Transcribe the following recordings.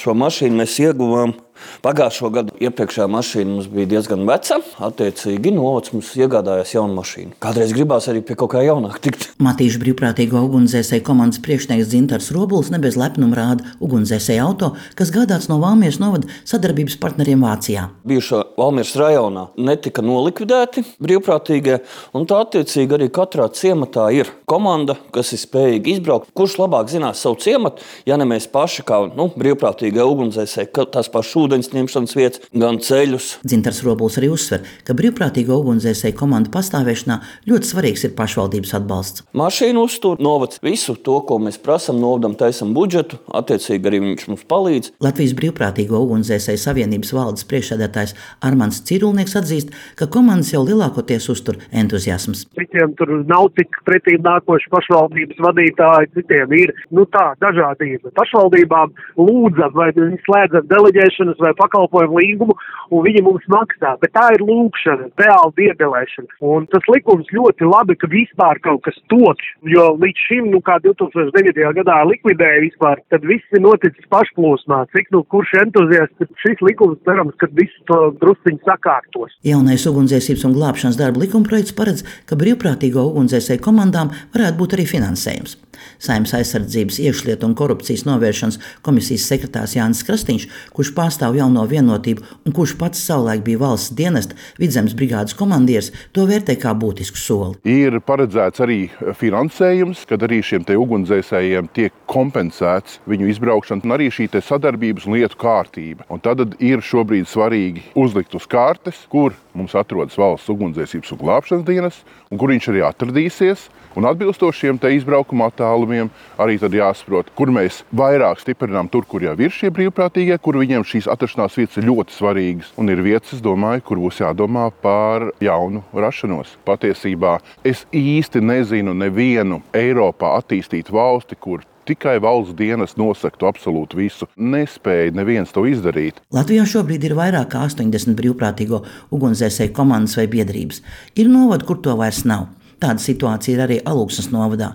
šo mašīnu mēs ieguvām pagājušo gadu. Iepriekšējā mašīna mums bija diezgan veca, attiecīgi novads mums iegādājās jaunu mašīnu. Kādreiz gribās arī pie kaut kā jaunāk tikt. Matīšu brīvprātīgo ugunsdzēsēju komandas priekšnieks Dzintars Robuls ne bez lepnuma rāda ugunsdzēsēju auto, kas gādāts no Valmieras novada sadarbības partneriem Vācijā. Bijušā Valmieras rajonā netika nolikvidēti brīvprātīgie, un tā attiecīgi arī katrā ciematā ir komanda, kas ir spējīga izbraukt. Kurš labāk zinās savu ciematu, ja ne mēs paši kā brīvprātīgie ugunsdzēsēji, tās pašas ūdens ņemšanas vietas, gan ceļus. Dzintars Robuls arī uzsver, ka brīvprātīgo ugunsdzēsēju komandu pastāvēšanā ļoti svarīgs ir pašvaldības atbalsts. Mašīnu uztur, novads visu to, ko mēs prasam, novadam, taisam budžetu, attiecīgi arī viņš mums palīdz. Latvijas brīvprātīgo ugunsdzēsēju savienības valdes priekšsēdētājs Armands Cirulnieks atzīst, ka komandas jau lielākoties uztur entuziasms. Citiem tur nav tik pretīm nākoši pašvaldības vadītāji, citiem ir dažādība. Pašvaldībām lūdzam vai slēdzam deleģēšanas vai pakalpojumu līgumu, un viņi mums maksā. Bet tā ir lūkšana, reāla diedelēšana. Un tas likums ļoti labi, ka vispār kaut kas top, jo līdz šim, kā 2009. Gadā likvidēja vispār, tad viss ir noticis pašplūsmā. Cik kurš entuziasts, šis likums cerams, ka visu to drusciņu sakārtos. Jaunais ugunsdzēsības un glābšanas darba likumprojekts paredz, ka brīvprātīgo ugunsdzēsēju komandām varētu būt arī finansējums. Saeimas aizsardzības, iekšlietu un korupcijas novēršanas komisijas sekretārs Jānis Krastīņš, kurš pārstāv Jauno vienotību un kurš pats savulaik bija valsts dienesta Vidzemes brigādes komandieris, to vērtē kā būtisku soli. Ir paredzēts arī finansējums, kad arī šiem te ugunsdzēsējiem tiek kompensēts viņu izbraukšana un arī šī te sadarbības un lietu kārtība. Un tad ir šobrīd svarīgi uzlikt uz kārtes, kur mums atrodas valsts ugunsdzēsības un glābšanas dienas un kur viņš arī atradīsies. Un atbilstoši šiem te izbraukuma attālumiem arī tad jāsaprot, kur mēs vairāk stiprinām tur, kur jau ir šie brīvprātīgie, kur viņiem šīs atrašanās vietas ir ļoti svarīgas. Un ir vietas, es domāju, kur būs jādomā par jaunu rašanos. Patiesībā es īsti nezinu nevienu Eiropā attīstītu valsti, kur tikai valsts dienas nosaktu absolūti visu. Nespēja neviens to izdarīt. Latvijā šobrīd ir vairāk kā 80 brīvprātīgo ugunsdzēsēju komandas vai biedrības. Ir novadi, kur to vairs nav. Tāda situācija ir arī Alūksnes novadā.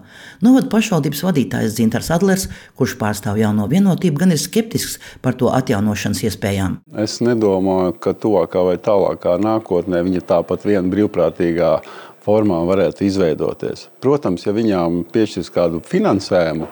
Novada pašvaldības vadītājs Dzintars Adlers, kurš pārstāv Jauno vienotību, gan ir skeptisks par to atjaunošanas iespējām. Es nedomāju, ka tuvākā vai tālākā nākotnē viņa tāpat viena brīvprātīgā formā varētu izveidoties. Protams, ja viņām piešķirs kādu finansējumu,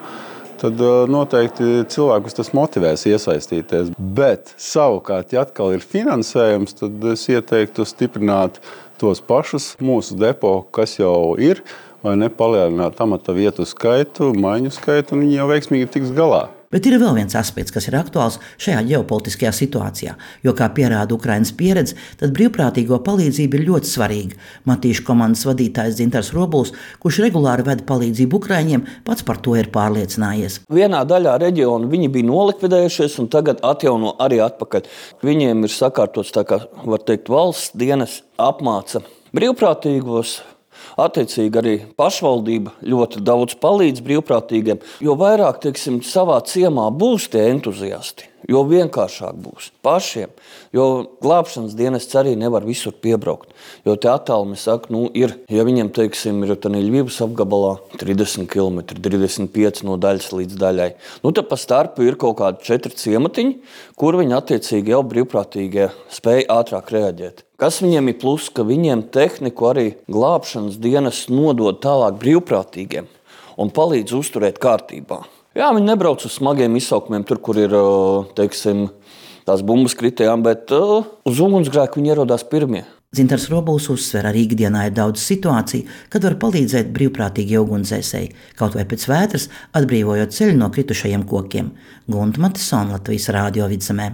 tad noteikti cilvēkus tas motivēs iesaistīties. Bet savukārt, ja atkal ir finansējums, tad es ieteiktu stiprināt tos pašus mūsu depo, kas jau ir, vai nepalielināt amata vietu skaitu, maiņu skaitu, un viņi jau veiksmīgi tiks galā. Bet ir vēl viens aspekts, kas ir aktuāls šajā ģeopolitiskajā situācijā, jo, kā pierāda Ukrainas pieredze, tad brīvprātīgo palīdzība ir ļoti svarīga. Matīšu komandas vadītājs Dzintars Robuls, kurš regulāri veda palīdzību Ukraiņiem, pats par to ir pārliecinājies. Vienā daļā reģiona viņi bija nolikvidējušies un tagad atjauno arī atpakaļ. Viņiem ir sakārtots, tā kā var teikt, valsts dienas apmāca brīvprātīgos. Attiecīgi arī pašvaldība ļoti daudz palīdz brīvprātīgiem, jo vairāk, savā ciemā būs tie entuziasti, jo vienkāršāk būs pašiem, jo glābšanas dienests arī nevar visur piebraukt, jo te attālumi saka, ir, ja viņiem, ir Ļvivas apgabalā 30 km, 35 no daļas līdz daļai, tad pa starpu ir kaut kādi 4 ciematiņi, kur viņi attiecīgi jau brīvprātīgie spēja ātrāk reaģēt. Kas viņiem ir plus, ka viņiem tehniku arī glābšanas dienas nodod tālāk brīvprātīgiem un palīdz uzturēt kārtībā. Jā, viņi nebrauc uz smagiem izsaukumiem, tur, kur ir, tās bumbas kritējām, bet uz ugunsgrēku viņi ierodās pirmie. Dzintars Robuls uzsver, arī ikdienā ir daudz situāciju, kad var palīdzēt brīvprātīgie ugunsdzēsēji, kaut vai pēc vētras, atbrīvojot ceļu no kritušajiem kokiem. Gunta Matisona, Latvijas Rādio Vidzemē.